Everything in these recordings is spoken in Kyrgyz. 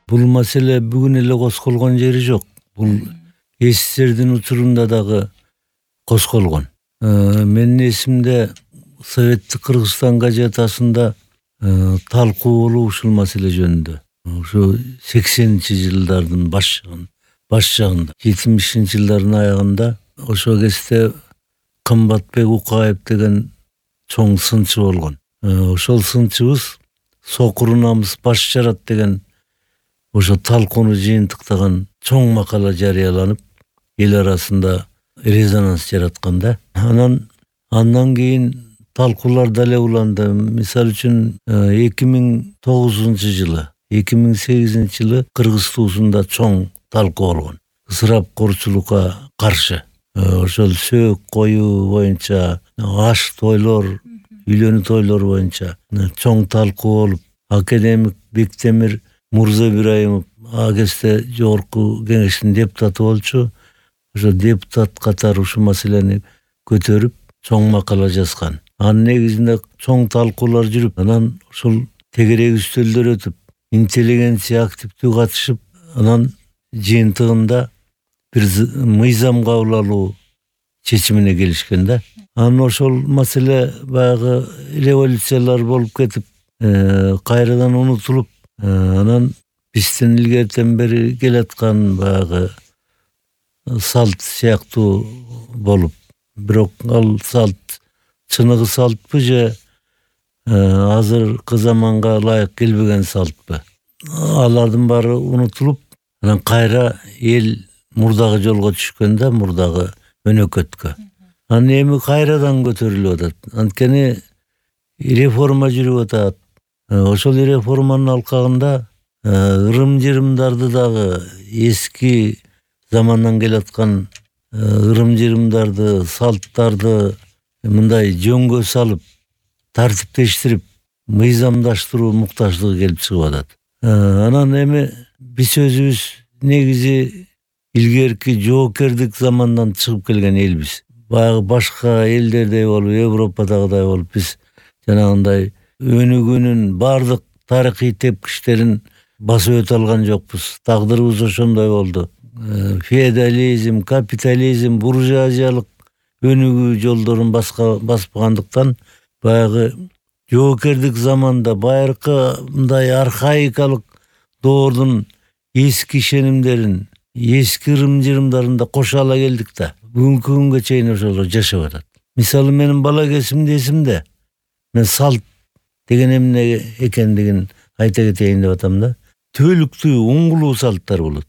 Бул маселе бүгүн эле козголгон жери жок. Бул СССРдин учурунда дагы козголгон. Менин эсимде Советтик Кыргызстан газетасында талкуу болуп ушул маселе жөнүндө. Ошо 80-жылдардын баш жагында, 70-жылдардын аягында ошол кезде Кымбатбек Укаев деген чоң сынчы болгон. Ошол сынчыбыз Сокуру намыс баш жарат деген ошо талкууну жыйынтыктаган чоң макала жарыяланып, эл арасында резонанс жаратканда. Андан кийин талкуулар дале уланды. Мисалы үчүн 2009-жылы, 2008-жылы Кыргыз туусунда чоң талкуу болгон. Ысырапкорчулукка каршы. Ошол сөөк коюу боюнча, аш тойлор, үйлөнүү тойлор боюнча чоң талкуу болуп, академик Бектемир Мурза Ибраимов а кезде жогорку кеңештин депутаты болчу. Ошо депутат катары ушул маселени көтөрүп, чоң макала жазган. Анын негизинде чоң талкуулар жүрүп, анан ушул тегерек үстөлдөр өтүп, интеллигенция активдүү катышып, анан жыйынтыгында бир мыйзам кабыл алуу чечимине келишкен да. Анан ошол маселе баягы революциялар болуп кетип, кайрадан унутулуп, анан биздин илгертен бери келаткан баягы салт сыяктуу болуп, бирок ал салт чыныгы салтпы же азыркы заманга ылайык келбеген салтпы? Алардын баары унутулуп, анан кайра эл мурдагы жолго түшкөн да, мурдагы өнөкөткө. Анан эми кайрадан көтөрүлүп атат. Анткени реформа жүрүп атат. Ошол реформанын алкагында ырым-жырымдарды дагы, эски замандан келаткан ырым-жырымдарды, салттарды мындай жөнгө салып, тартиптештирип, мыйзамдаштыруу муктаждыгы келип чыгып атат. Анан эми биз өзүбүз негизи илгерки жоокердик замандан чыгып келген элбиз. Баягы башка элдердей болуп, Европадагыдай болуп, биз жанагындай өнүгүүнүн бардык тарыхый тепкичтерин басып өтө алган жокпуз. Тагдырыбыз ошондой болду. Феодализм, капитализм, буржуазиялык өнүгүү жолдорун баспагандыктан баягы жоокердик заманда байыркы мындай архаикалык доордун эски ишенимдерин, эски ырым-жырымдарын да кошо ала келдик да. Бүгүнкү күнгө чейин ошолор жашап атат. Мисалы менин бала кезимде эсимде. Мен салт деген эмне экендигин айта кетейин деп атам да. Түбөлүктүү, уңгулуу салттар болот.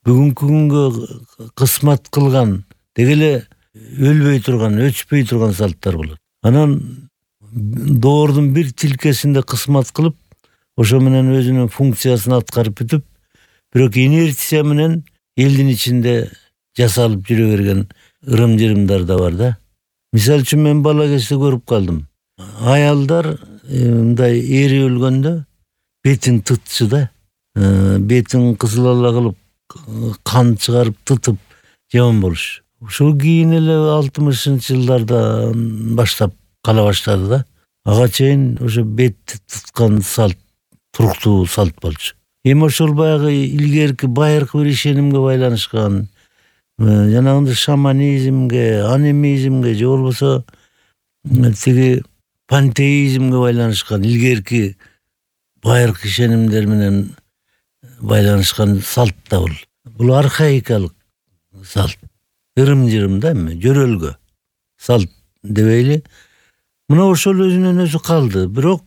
Бүгүнкү күнгө кысмат кылган, деги эле өлбөй турган, өчпөй турган салттар болот. Анан доордун бир тилкесинде кысмат кылып, ошо менен өзүнүн функциясын аткарып бүтүп, бирок инерция менен элдин ичинде жасалып жүрө берген ырым-жырымдар да бар да. Мисалы үчүн мен бала кезде көрүп калдым. Аялдар мындай эри өлгөндө бетин тытчу да. Бетин кызыл ала кылып, кан чыгарып тытып жаман болуш. Ушул кийин эле 60-жылдардан баштап кала баштады да. Ага чейин ошо бетти туткан салт туруктуу салт болчу. Эми ошол баягы илгерки байыркы бир ишенимге байланышкан, жанагындай шаманизмге, анимизмге же болбосо тиги пантеизмге байланышкан, илгерки байыркы ишенимдер менен байланышкан салт да бул. Бул архаикалык салт. Ырым-жырым да эми, жөрөлгө салт дебейли. Мына ошол өзүнөн өзү калды. Бирок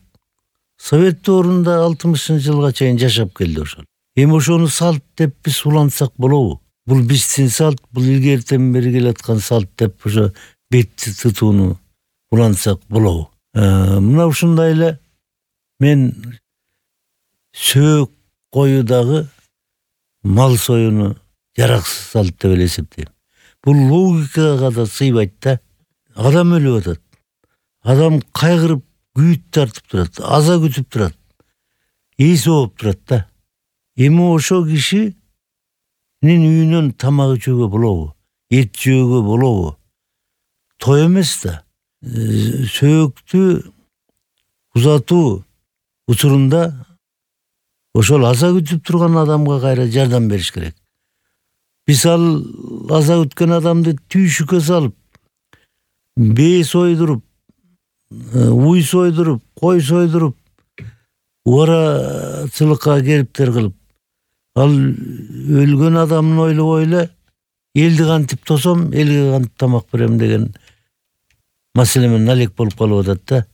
Совет доорунда 60-жылга чейин жашап келди ошол. Эми ошону салт деп биз улантсак болобу? Бул биздин салт, бул илгертен бери келаткан салт деп ошо бетти тытууну улантсак болобу? Мына ушундай эле мен сөөк коюудагы мал союуну жараксыз салт деп эле эсептейм. Бул логикага да сыйбайт да. Адам өлүп атат. Адам кайгырып күйүт тартып турат, аза күтүп турат, эси ооп турат да. Эми ошо кишинин үйүнөн тамак ичүүгө болобу? Эт жөөгө болобу? Той эмес да. Сөөктү узатуу учурунда ошол аза күтүп турган адамга кайра жардам бериш керек. Биз ал аза күткөн адамды түйшүккө салып, бээ сойдуруп, уй сойдуруп, кой сойдуруп, убарачылыкка кериптер кылып, ал өлгөн адамын ойлобой эле элди кантип тосом, элге кантип тамак берем деген маселе менен алек болуп калып атат да.